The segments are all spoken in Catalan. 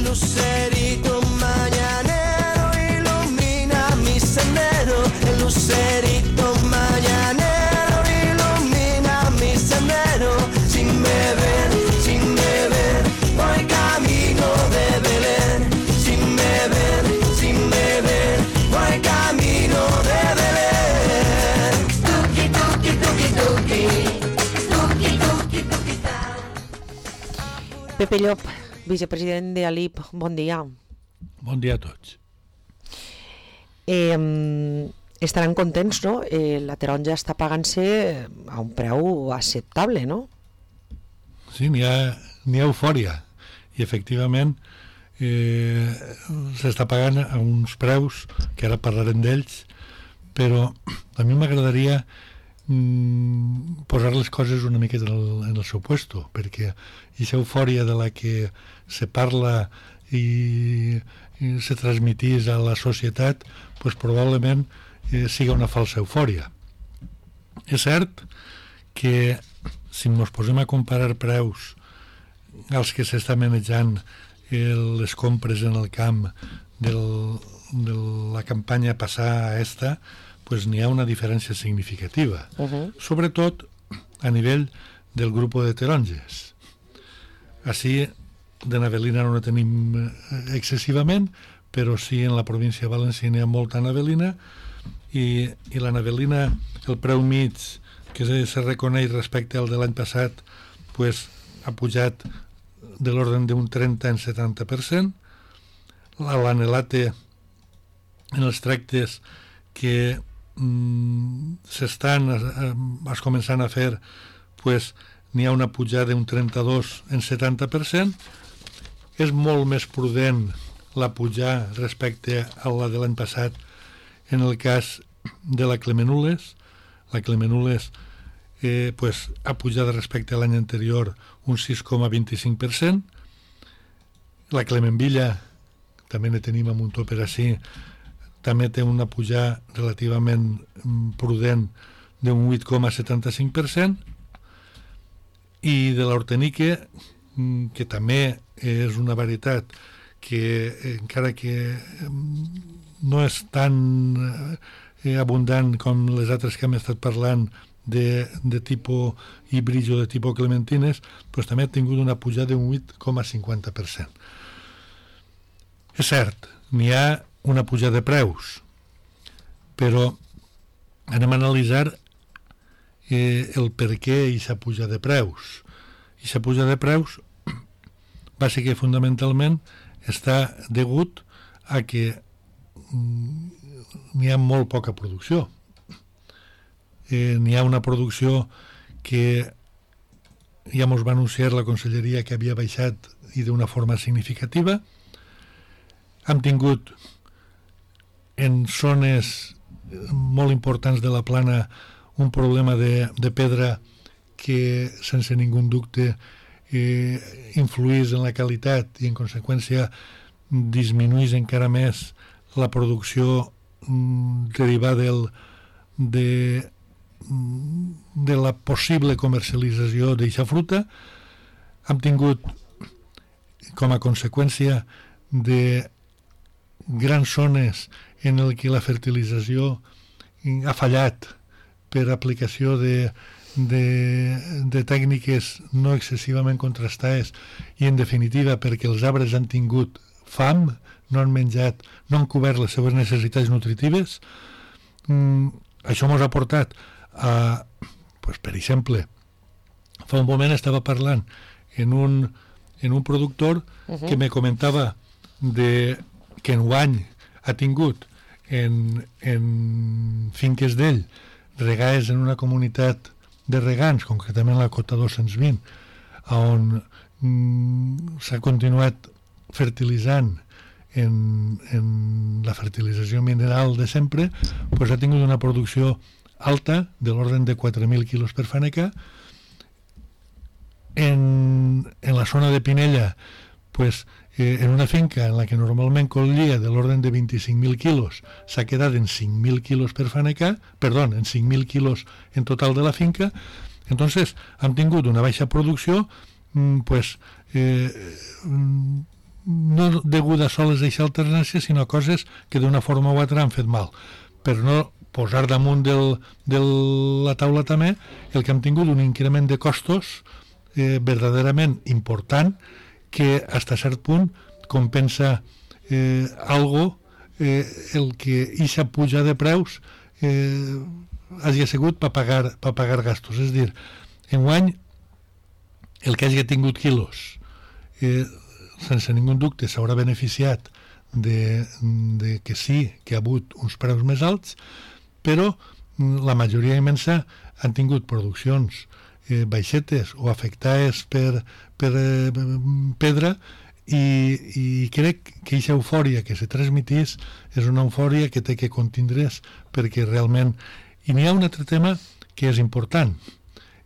el lucerito mañanero ilumina mi sendero, el lucerito mañanero ilumina mi sendero. Sin beber, voy camino de Belén. Sin beber, voy camino de Belén. Tuki, tuki, tuki, tuki, tuki, tuki, tuki, ta. Pepe Llop, vicepresident de ALIP, bon dia. Bon dia a tots. Estaran contents, no? La taronja està pagant-se a un preu acceptable, no? Sí, n'hi ha eufòria i efectivament s'està pagant a uns preus que ara parlarem d'ells, però a mi m'agradaria posar les coses una miqueta en el seu puesto, perquè aquesta eufòria de la que se parla i se transmitís a la societat, pues probablement siga una falsa eufòria. És cert que si ens posem a comparar preus als que s'està manejant les compres en el camp de la campanya passada a esta, pues n'hi ha una diferència significativa, sobretot a nivell del grup de taronges. Així, de navelina no tenim excessivament, però sí en la província de València n'hi ha molta navelina, i la navelina, el preu mig que se reconeix respecte al de l'any passat, pues, ha pujat de l'ordre d'un 30 en 70%. L'anelate en els tractes que s'estan començant a fer, pues, n'hi ha una pujada d'un 32 en 70%. És molt més prudent la pujar respecte a la de l'any passat en el cas de la Clemenules. La Clemenules pues, ha pujat respecte a l'any anterior un 6,25%. La Clemenvilla, també ne tenim amb un toper així, també té una pujada relativament prudent d'un 8,75%. I de l'Hortenique, que també és una varietat que encara que no és tan abundant com les altres que hem estat parlant de tipus híbrid o de tipus clementines, doncs també ha tingut una pujada d'un 8,50%. És cert, n'hi ha una pujada de preus, però anem a analitzar el per què aquesta pujada de preus. Aquesta pujada de preus va ser que fonamentalment està degut a que n'hi ha molt poca producció. N'hi ha una producció que ja ens va anunciar la Conselleria que havia baixat i d'una forma significativa. Hem tingut en zones molt importants de la plana un problema de pedra que sense ningú dubte influís en la qualitat i en conseqüència disminuís encara més la producció derivada de la possible comercialització d'aquesta fruta. Hem tingut com a conseqüència de grans zones en el que la fertilització ha fallat per aplicació de tècniques no excessivament contrastades i en definitiva perquè els arbres han tingut fam, no han menjat, no han cobert les seves necessitats nutritives. Això ens ha portat a, pues, per exemple, fa un moment estava parlant en un productor que me comentava que enguany ha tingut en finques d'ell regades en una comunitat de regants, concretament la Cota 220, on s'ha continuat fertilitzant en la fertilització mineral de sempre, pues ha tingut una producció alta de l'ordre de 4.000 quilos per faneca. En la zona de Pinella, pues, en una finca en la que normalment collia de l'ordre de 25.000 quilos, s'ha quedat en 5.000 quilos per faneca, perdón, en 5.000 quilos en total de la finca. Entonces, han tingut una baixa producció, pues, no no deguda soles a aquesta alternància, sinó coses que d'una forma o altra han fet mal. Per no posar damunt de la taula també el que hem tingut un increment de costos verdaderament important que fins a cert punt compensa algo el que aquesta puja de preus hagi sigut per pagar gastos. És a dir, enguany el que hagi tingut quilos sense ningú dubte s'haurà beneficiat de que sí que ha hagut uns preus més alts, però la majoria immensa han tingut produccions baixetes o afectades per pedra i crec que aquesta eufòria que se transmitís és una eufòria que té que contindre's perquè realment... I n'hi ha un altre tema que és important.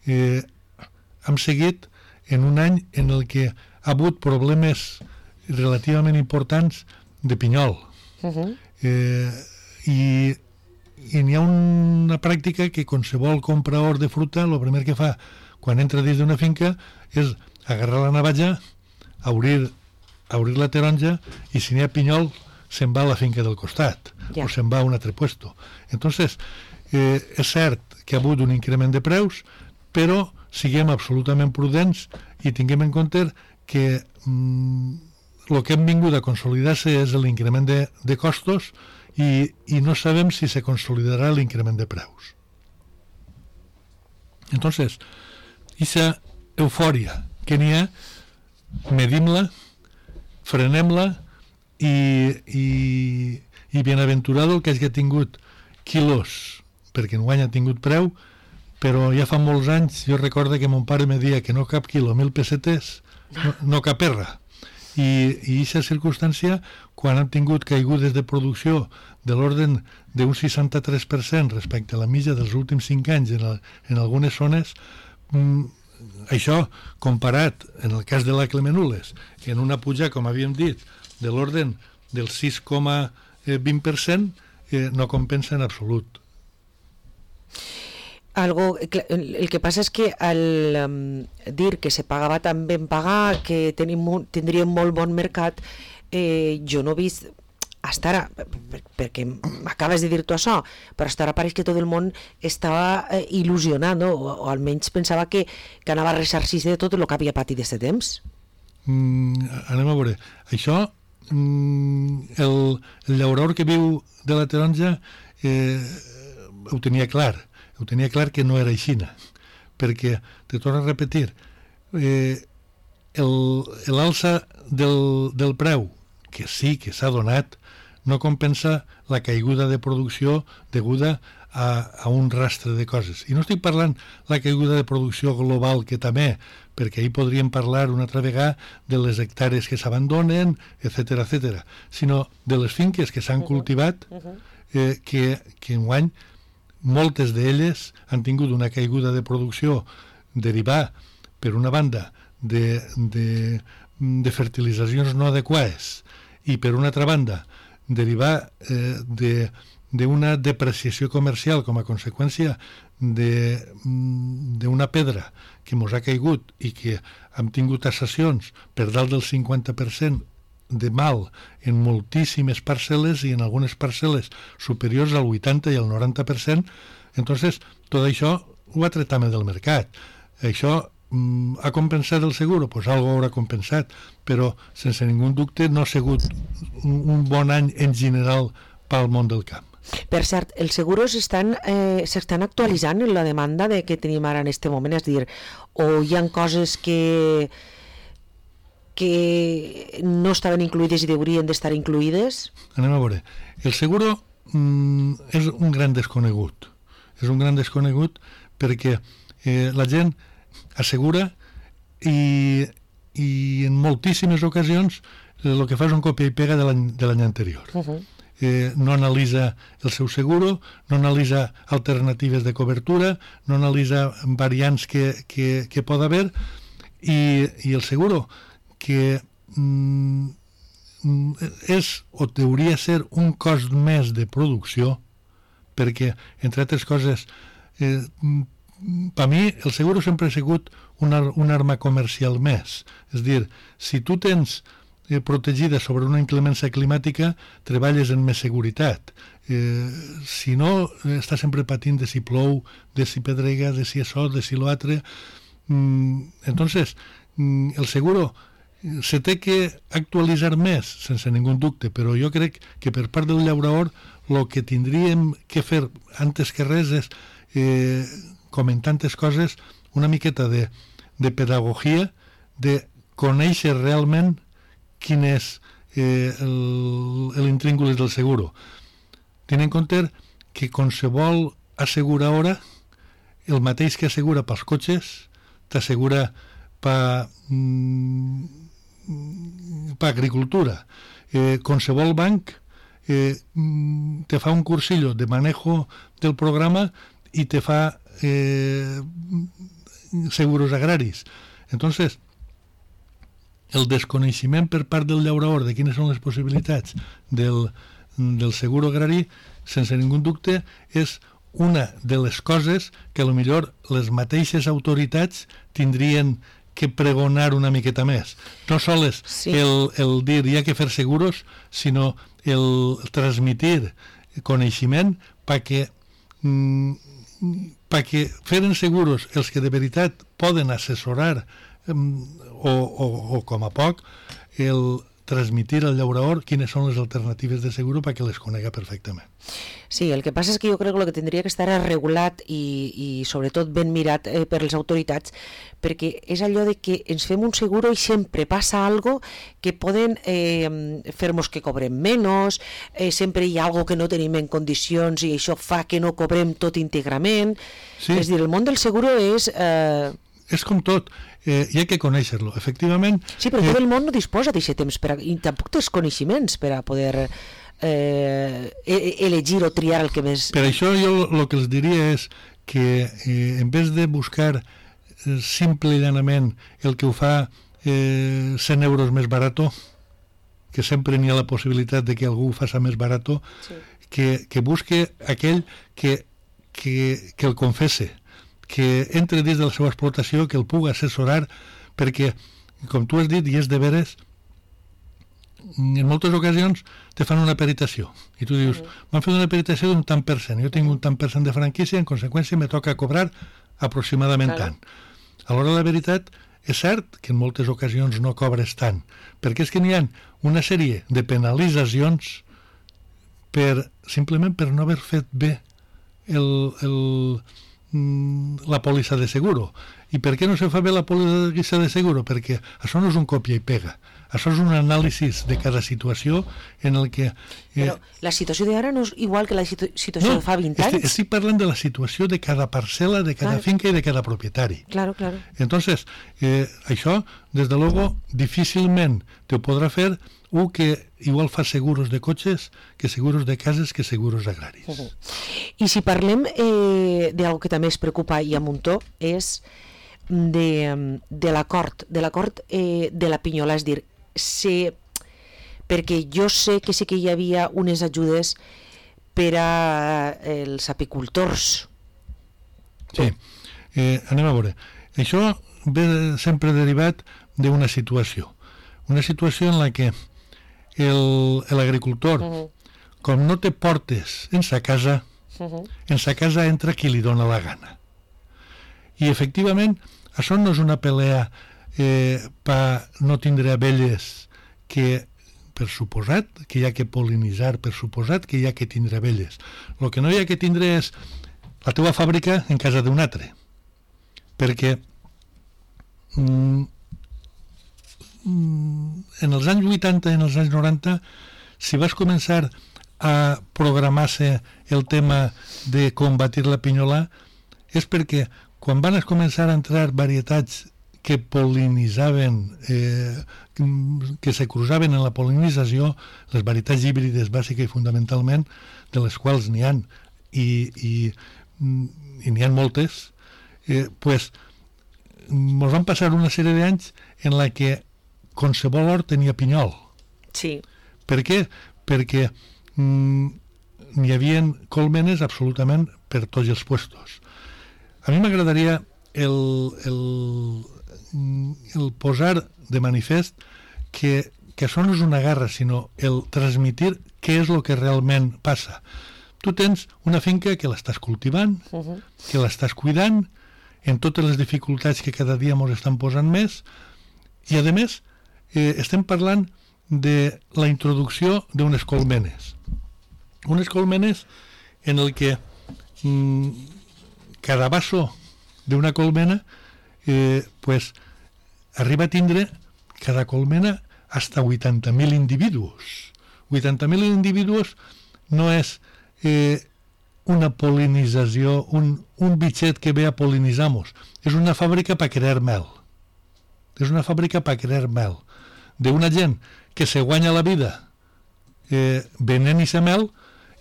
Hem seguit en un any en el que ha hagut problemes relativament importants de pinyol. I n'hi ha una pràctica que qualsevol comprador de fruta el primer que fa quan entra dins d'una finca és agarrar la navalla, obrir la taronja i si n'hi ha pinyol se'n va a la finca del costat o se'n va a un altre puesto. Entonces, és cert que ha hagut un increment de preus, però siguem absolutament prudents i tinguem en compte que el que hem vingut a consolidar-se és l'increment de costos i no sabem si se consolidarà l'increment de preus. Entonces, aquesta eufòria que n'hi ha, medim-la, frenem-la i bienaventurado el que hagi tingut quilos, perquè enguany ha tingut preu, però ja fa molts anys jo recordo que mon pare me deia que no cap quilo, 1.000 pessetes, no cap erra. I aquesta circumstància, quan han tingut caigudes de producció de l'ordre d'un 63% respecte a la mitja dels últims 5 anys en algunes zones, això comparat en el cas de la Clemenules, en una puja, com havíem dit, de l'ordre del 6,20%, no compensa en absolut. El que passa és que al dir que se pagava tan ben pagar, que tindríem molt bon mercat, jo no he vist hasta ara, perquè m'acabes de dir tu això, però hasta ara pareix que tot el món estava il·lusionat, no? O almenys pensava que anava a ressarcir-se de tot el que havia patit d'aquest temps. Anem a veure. Això, el llaurador que viu de la taronja ho tenia clar que no era aixina, perquè, te torno a repetir, l'alça del preu, que sí que s'ha donat, no compensa la caiguda de producció deguda a un rastre de coses. I no estic parlant la caiguda de producció global, que també, perquè ahir podríem parlar una altra vegada de les hectàrees que s'abandonen, etc., sinó de les finques que s'han cultivat, que enguany moltes d'elles han tingut una caiguda de producció derivada, per una banda, de fertilitzacions no adequades i, per una altra banda, derivar d'una depreciació comercial com a conseqüència d'una pedra que mos ha caigut i que hem tingut taxacions per dalt del 50% de mal en moltíssimes parcel·les i en algunes parcel·les superiors al 80 i al 90%, entonces tot això ho ha tret també del mercat. Això ha compensat el seguro? Pues algo haurà compensat, però sense ningú dubte no ha sigut un bon any en general pel món del camp. Per cert, els seguros s'estan actualitzant en la demanda que tenim ara en aquest moment, és a dir, o hi ha coses que no estaven incluïdes i haurien d'estar incluïdes? Anem a veure. El seguro és un gran desconegut. És un gran desconegut perquè la gent assegura i en moltíssimes ocasions el que fa és un copia i pega de l'any anterior. No analitza el seu seguro, no analitza alternatives de cobertura, no analitza variants que pot haver i el seguro que és o hauria ser un cost més de producció perquè, entre altres coses, per mi el seguro sempre ha sigut una arma comercial més. És a dir, si tu tens protegida sobre una inclemència climàtica, treballes en més seguretat. Si no, estàs sempre patint de si plou, de si pedrega, de si això, de si l'altre. Entonces, el seguro se té que actualitzar més, sense ningú dubte, però jo crec que per part del llaurador el que tindríem que fer antes que res és, com en tantes coses, una miqueta de pedagogia, de conèixer realment quin és l'intríngulis del seguro. Tenint en compte que qualsevol asseguradora, el mateix que assegura pels cotxes, t'assegura per agricultura. Qualsevol banc te fa un cursillo de manejo del programa i te fa seguros agraris. Entonces, el desconeixement per part del llaurador de quines són les possibilitats del seguro agrari, sense ningú dubte, és una de les coses que potser les mateixes autoritats tindrien que pregonar una miqueta més. No sols el dir hi ha que fer seguros, sinó el transmitir coneixement perquè feren seguros els que de veritat poden assessorar o com a poc el transmitir al llaurador quines són les alternatives de seguro perquè les conega perfectament. Sí, el que passa és que jo crec que el que tindria que estar regulat i sobretot ben mirat per les autoritats, perquè és allò de que ens fem un seguro i sempre passa algo que poden fer-nos que cobrem menys, sempre hi ha algo que no tenim en condicions i això fa que no cobrem tot íntegrament. Sí. És dir, el món del seguro és... És com tot, hi ha que conèixer-lo, efectivament. Sí, però tot el món no disposa d'aquest temps i tampoc té els coneixements per a poder elegir o triar el que més... Per això jo el que els diria és que en vez de buscar simple i llanament el que ho fa 100 euros més barato, que sempre n'hi ha la possibilitat de que algú ho faci més barato, sí. que busque aquell que el confesse, que entre dins de la seva explotació, que el pugui assessorar, perquè, com tu has dit, i és de veres, en moltes ocasions te fan una peritació, i tu dius, m'han fet una peritació d'un tant per cent, jo tinc un tant per cent de franquícia, en conseqüència me toca cobrar aproximadament tant. A l'hora de la veritat, és cert que en moltes ocasions no cobres tant, perquè és que n'hi ha una sèrie de penalitzacions simplement per no haver fet bé la pòlissa de seguro. I per què no se fa bé la pòlissa de seguro? Perquè això no és un còpia i pega. Això és un anàlisi de cada situació en el que... Però la situació d'ara no és igual que la situació de fa 20 anys? Estic parlant de la situació de cada parcel·la, de cada finca i de cada propietari. Claro. Entonces, això, des de luego, difícilment te ho podrà fer un que igual fa seguros de cotxes que seguros de cases que seguros agraris. I si parlem d'algo que també es preocupa i a muntó és de l'acord de la Pinyola, és dir, perquè jo sé que sí que hi havia unes ajudes per als apicultors. Sí, anem a veure. Això ve sempre derivat d'una situació en la que l'agricultor, com no té portes en sa casa, en sa casa entra qui li dona la gana. I efectivament, això no és una pelea per no tindre abelles que, per suposat, que hi ha que pol·linitzar, per suposat que hi ha que tindre abelles. El que no hi ha que tindre és la teva fàbrica en casa d'un altre. Perquè en els anys 80 i en els anys 90, si vas començar a programar-se el tema de combatir la pinyola, és perquè quan van començar a entrar varietats que pol·linitzaven, que se cruzaven en la pol·linització, les varietats híbrides bàsiques i fundamentalment, de les quals n'hi ha i n'hi ha moltes, pues ens van passar una sèrie d'anys en la que qualsevol hort tenia pinyol. Sí. Per què? Perquè n'hi havia colmenes absolutament per tots els puestos. A mi m'agradaria el posar de manifest que que això no és una guerra, sinó el transmitir què és el que realment passa. Tu tens una finca que l'estàs cultivant, que l'estàs cuidant, en totes les dificultats que cada dia ens estan posant més, i a més estem parlant de la introducció d'unes colmenes. Unes colmenes en el que cada vaso d'una colmena pues, arriba a tindre cada colmena hasta 80.000 individus. 80.000 individus no és una polinització, un bitxet que ve a polinitzar-nos. És una fàbrica per crear mel. És una fàbrica per crear mel. D'una gent que se guanya la vida venent i mel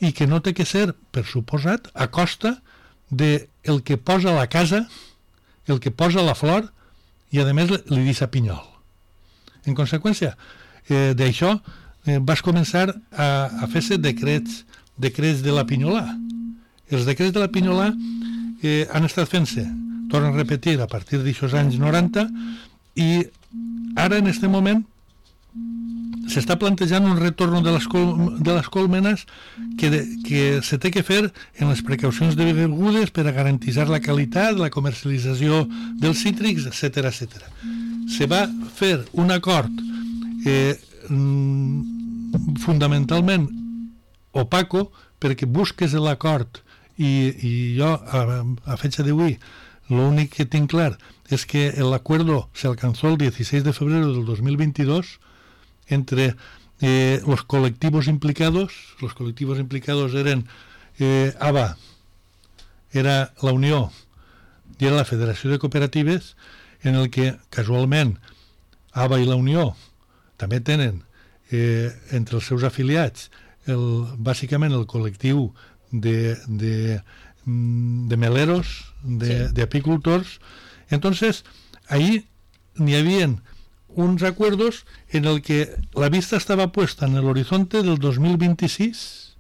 i que no té que ser, per suposat, a costa del que posa a la casa, el que posa la flor i a més li deixa pinyol. En conseqüència d'això vas començar a fer-se decrets de la pinyolà. Els decrets de la pinyolà han estat fent-se, torno a repetir, a partir d'aixòs anys 90, i ara en aquest moment s'està plantejant un retorn de les colmenes que se té que fer en les precaucions degudes per a garantir la qualitat, la comercialització dels cítrics, etc. Se va fer un acord fundamentalment opaco perquè busques l'acord i jo a fecha d'avui l'únic que tinc clar és que l'acuerdo se alcanzó el 16 de febrero del 2022 entre los colectivos implicados. Los colectivos implicados eren ABA, era la Unió i era la Federació de Cooperatives, en el que casualment ABA i la Unió també tenen entre els seus afiliats bàsicament el col·lectiu de meleros, de apicultors. Entonces, ahí n'hi havia uns acuerdos en el que la vista estaba puesta en el horizonte del 2026,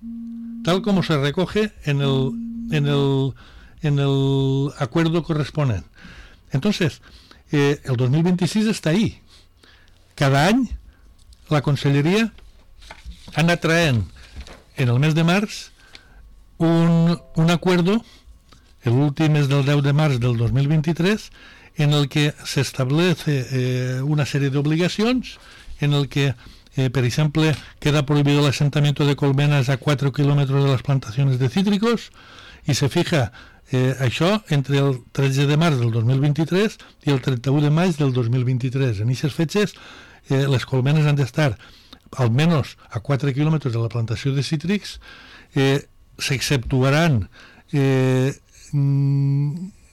tal como se recoge en el acuerdo correspondiente. Entonces, el 2026 está ahí. Cada any la Conselleria ha anat traient en el mes de març un acuerdo, el últim és del 10 de març del 2023, en el que se establece una serie de obligacions, en el que, per exemple, queda prohibido el asentamiento de colmenas a 4 kilómetros de las plantaciones de cítricos, i se fija això entre el 13 de març del 2023 i el 31 de maig del 2023. En aquestes fetges les colmenes han d'estar almenys a 4 quilòmetres de la plantació de cítrics, s'exceptuaran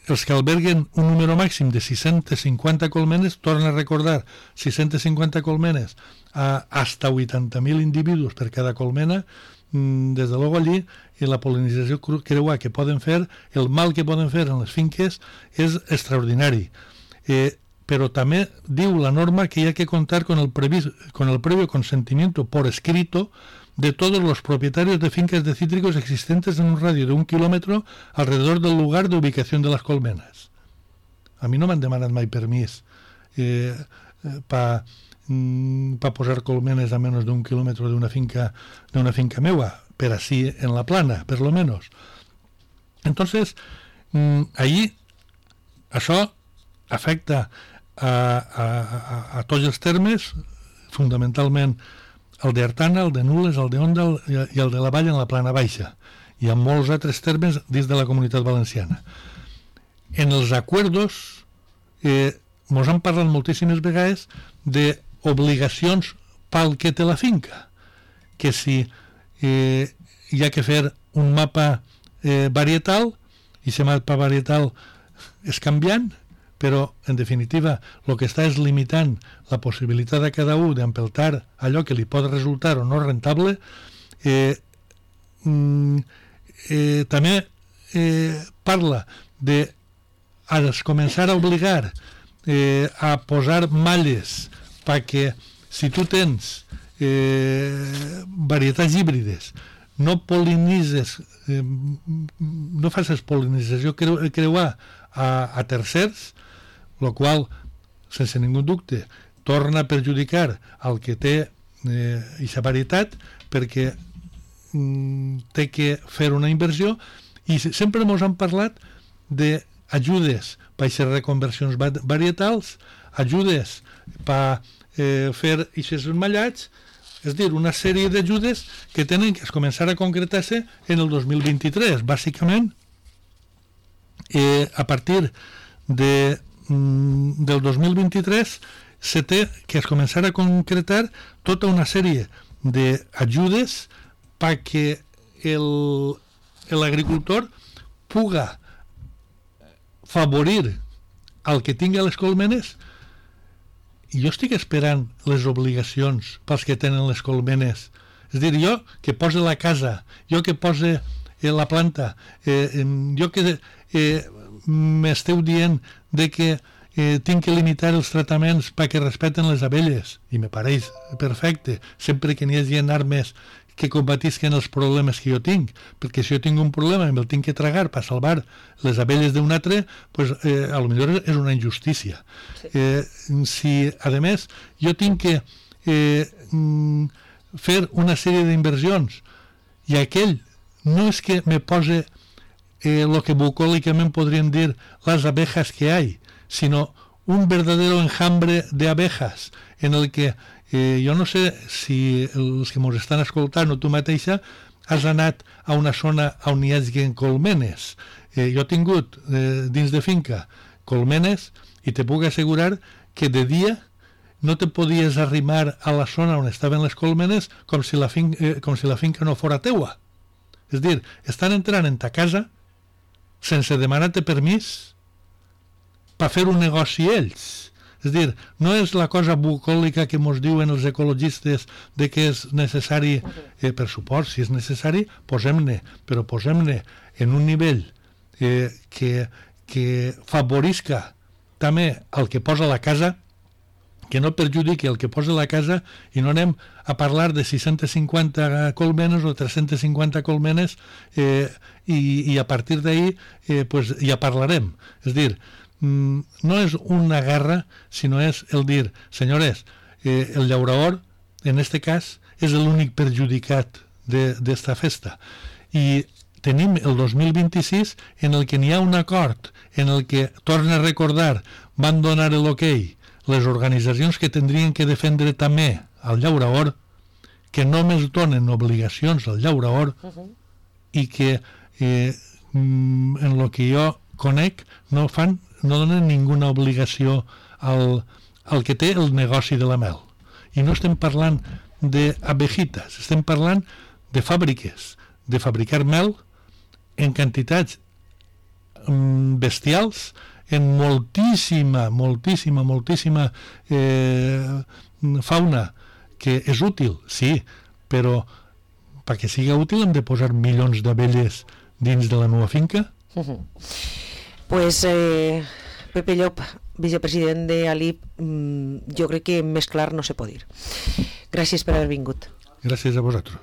els que alberguen un número màxim de 650 colmenes, torna a recordar, 650 colmenes a hasta 80.000 individus per cada colmena. Des de luego allí, en la polinització creuà que poden fer, el mal que poden fer en les finques és extraordinari. Pero también diu la norma que hay que contar con el previo consentimiento por escrito de todos los propietarios de fincas de cítricos existentes en un radio de 1 kilómetro alrededor del lugar de ubicación de las colmenas. A mi no m'han demanat mai permís para posar colmenes a menos de 1 kilómetro de una finca meua, pero así en la plana, per lo menos. Entonces, allí això afecta a tots els termes, fundamentalment el d'Artana, el de Nules, el d'Onda i el de la Vall en la plana baixa, i en molts altres termes dins de la Comunitat Valenciana. En els acuerdos mos han parlat moltíssimes vegades d'obligacions pel que té la finca, que si hi ha que fer un mapa varietal, i aquest mapa varietal és canviant, però, en definitiva, el que està és limitant la possibilitat de cada un d'empeltar allò que li pot resultar o no rentable. També parla de començar a obligar a posar malles perquè si tu tens varietats híbrides, no polinitzes, no facis polinització creuar a tercers, el qual, sense ningú dubte, torna a perjudicar el que té aquesta varietat perquè té que fer una inversió, i sempre ens han parlat d'ajudes per fer reconversions varietals, ajudes per fer aquests mallats, és dir, una sèrie d'ajudes que tenen que començar a concretar-se en el 2023. Bàsicament, a partir del 2023 se té que es començar a concretar tota una sèrie d'ajudes perquè l'agricultor puga favorir el que tingui les colmenes. I jo estic esperant les obligacions pels que tenen les colmenes. És a dir, jo que pose la casa, jo que pose la planta, jo que m'esteu dient de que tinc que limitar els tractaments perquè respecten les abelles, i me pareix perfecte, sempre que n'hi hagi armes que combatisquen els problemes que jo tinc, perquè si jo tinc un problema i me'l tinc que tragar per salvar les abelles d'un altre, pues, a lo millor és una injustícia. Sí. Si, a més, jo tinc que fer una sèrie d'inversions i aquell no és que me pose lo que bucòlicament podríem dir les abejas que hay, sino un verdadero enjambre de abejas en el que jo no sé si els que ens estan escoltant o tu mateixa has anat a una zona on hi hagi colmenes. Jo he tingut dins de finca colmenes i te puc assegurar que de dia no te podies arrimar a la zona on estaven les colmenes com si la finca no fora teua. És dir, estan entrant en ta casa sense demanar-te permís per fer un negoci ells. És dir, no és la cosa bucòlica que ens diuen els ecologistes de que és necessari, per suport, si és necessari, posem-ne, però posem-ne en un nivell que favorisca també el que posa la casa, que no perjudiqui el que posa la casa, i no anem a parlar de 650 colmenes o 350 colmenes i a partir d'ahí pues, ja parlarem. És dir, no és una guerra, sinó és el dir, senyores, el llaurador, en este cas, és l'únic perjudicat d'esta festa. I tenim el 2026 en el que n'hi ha un acord, en el que, torna a recordar, van donar l'ok les organitzacions que tindrien que defendre també al llaurador, que només donen obligacions al llaurador i que en el que jo conec no donen ninguna obligació al que té el negoci de la mel. I no estem parlant d'abejitas, estem parlant de fàbriques, de fabricar mel en quantitats bestials, en moltíssima fauna, que és útil, sí, però perquè sigui útil hem de posar milions d'abelles dins de la meva finca. Pues Pepe Llop, vicepresident de ALIP, jo crec que més clar no se pot dir. Gràcies per haver vingut. Gràcies a vosaltres.